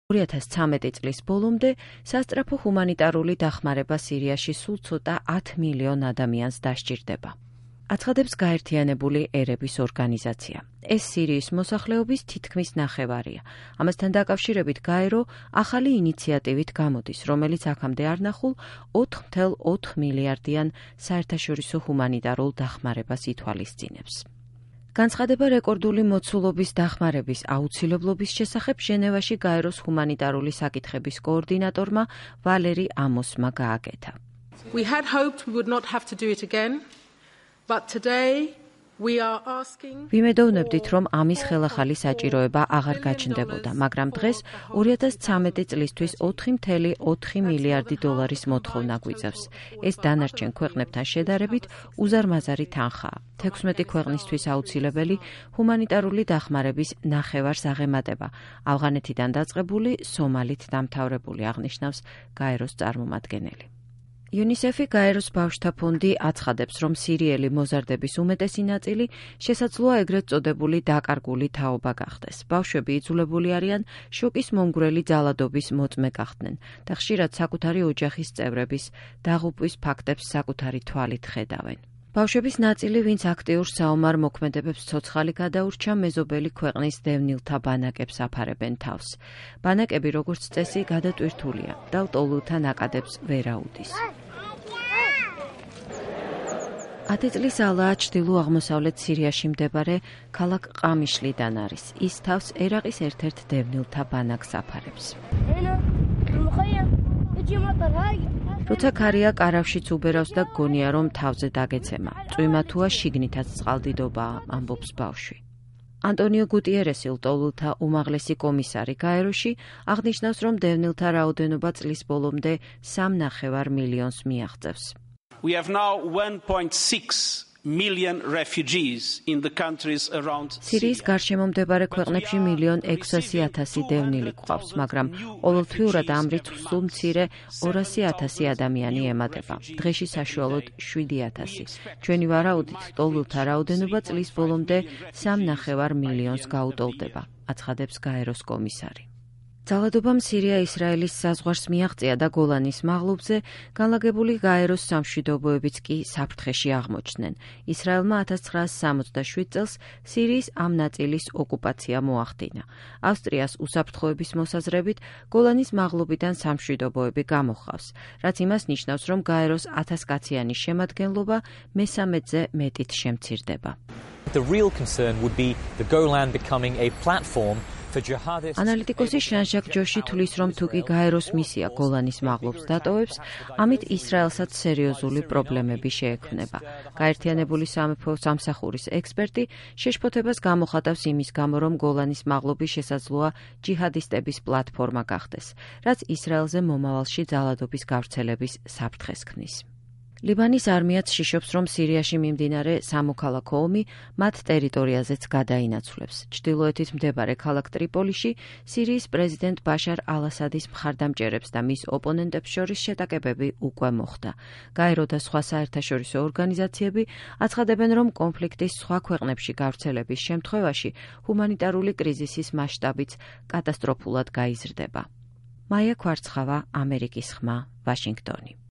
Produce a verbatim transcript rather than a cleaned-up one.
ორი ათას ცხრამეტი წლის ბოლომდე სასწრაფო ჰუმანიტარული დახმარება სირიაში სულ ცოტა ათ მილიონ ადამიანს დასჭირდება. აცხადებს გაერთიანებული ერების ორგანიზაცია. ეს სირიის მოსახლეობის თითქმის ნახევარია. ამასთან დაკავშირებით გაერო ახალი ინიციატივით გამოდის, რომელიც აქამდე არ ნახულ ოთხ კoma ოთხ მილიარდიან საერთაშორისო ჰუმანიტარულ დახმარებას ითვალისწინებს. განცხადება რეკორდული მოცულობის დახმარების აუცილებლობის შესახებ ჟენევაში გაეროს ჰუმანიტარული საკითხების კოორდინატორმა ვალერი ამოსმა გააკეთა. We had hoped we would not have to do it again, but today we are asking ვიმედოვნებდით, რომ ამის ხელახალი საჭიროება აღარ გაჩნდებოდა, მაგრამ დღეს ორი ათას ცხრამეტი წლისთვის ოთხი კoma ოთხ მილიარდი დოლარის მოთხოვნა გვიწევს. ეს დანარჩენ ქვეყნებთან შედარებით უზარმაზარი თანხაა. თექვსმეტი ქვეყნისთვის აუცილებელი ჰუმანიტარული დახმარების ნახევარს აღემატება. ავღანეთიდან დაწყებული, სომალით დამთავრებული, აღნიშნავს გაეროს წარმომადგენელი. იუნისეფი გაეროს ბავშვთა ფონდი აცხადებს, რომ სირიელი მოზარდების უმეტესი ნაწილი შესაძლოა ეგრეთ წოდებული დაკარგული თაობა გახდეს. ბავშვები იძულებული არიან შოკის მომგვრელი ძალადობის მოწმე გახდნენ და ხშირად საკუთარი ოჯახის წევრების დაღუპვის ფაქტებს საკუთარი თვალით ხედავენ. ბავშვების ნაწილი, ვინც აქტიურ საომარ მოქმედებებს ცოცხალი გადაურჩა, მეზობელი ქვეყნის დევნილთა ბანაკებს აფარებენ თავს. ბანაკები, როგორც წესი, გადატვირთულია და ლტოლვილთა ნაკადებს ვერ აუდის. ათი წლის ალაა ჩრდილო-აღმოსავლეთ სირიაში მდებარეობს ქალაქ ყამიშლიდან არის. ის თავს ერაყის ერთ-ერთ დევნილთა ბანაკს აფარებს. როცა ქარია კარავშიც უბერავს და გონია, რომ თავზე დაგეცემა. წვიმა თუა შიგნითაც წყალდიდობაა, ამბობს ბავშვი. ანტონიო გუტიერესი, ლტოლვილთა უმაღლესი კომისარი გაეროში, აღნიშნავს, რომ დევნილთა რაოდენობა წლის ბოლომდე სამ ნახევარ მილიონს მიაღწევს. We have now one point six million refugees in the countries around სირიის გარშემო მდებარე ქვეყნებში მილიონ ექვსასი ათასი დევნილი გვყავს, მაგრამ ყოველთვიურად ამ რიცხვს სულ მცირე ორასი ათასი ადამიანი ემატება. დღეში საშუალოდ შვიდი ათასი. ჩვენი ვარაუდით, ლტოლვილთა რაოდენობა წლის ბოლომდე სამ ნახევარ მილიონს გაუტოლდება, აცხადებს გაეროს კომისარი. ძალადობამ სირია-ისრაელის საზღვარს მიაღწია და გოლანის მაღლობზე განლაგებული გაეროს სამშვიდობოებიც კი საფრთხეში აღმოჩნდნენ. ისრაელმა ათას ცხრაას სამოცდაშვიდ წელს სირიის ამ ნაწილის ოკუპაცია მოახდინა. ავსტრიას უსაფრთხოების მოსაზრებით გოლანის მაღლობიდან სამშვიდობოები გამოჰყავს, რაც იმას ნიშნავს, რომ გაეროს ათასკაციანი შემადგენლობა მესამედზე მეტით შემცირდება. The real concern would be the Golan becoming a platform ანალიტიკოსი შან-ჟაკ ჯოში თვლის, რომ თუკი გაეროს მისია გოლანის მაღლობს დატოვებს, ამით ისრაელსაც სერიოზული პრობლემები შეექმნება. გაერთიანებული სამეფო სამსახურის ექსპერტი შეშფოთებას გამოხატავს იმის გამო, რომ გოლანის მაღლობი შესაძლოა ჯიჰადისტების პლატფორმა გახდეს, რაც ისრაელზე მომავალში ძალადობის გავრცელების საფრთხეს ქმნის. ლიბანის არმიაც შიშობს, რომ სირიაში მიმდინარე სამოქალაქო ომი მათ ტერიტორიაზეც გადაინაცვლებს. ჩრდილოეთით მდებარე ქალაქ ტრიპოლიში სირიის პრეზიდენტ ბაშარ ალ-ასადის მხარდამჭერებს და მის ოპონენტებს შორის შეტაკებები უკვე მოხდა. გაერო და სხვა საერთაშორისო ორგანიზაციები აცხადებენ, რომ კონფლიქტის სხვა ქვეყნებში გავრცელების შემთხვევაში ჰუმანიტარული კრიზისის მასშტაბიც კატასტროფულად გაიზრდება. მაია ქვარცხავა, ამერიკის ხმა, ვაშინგტონი.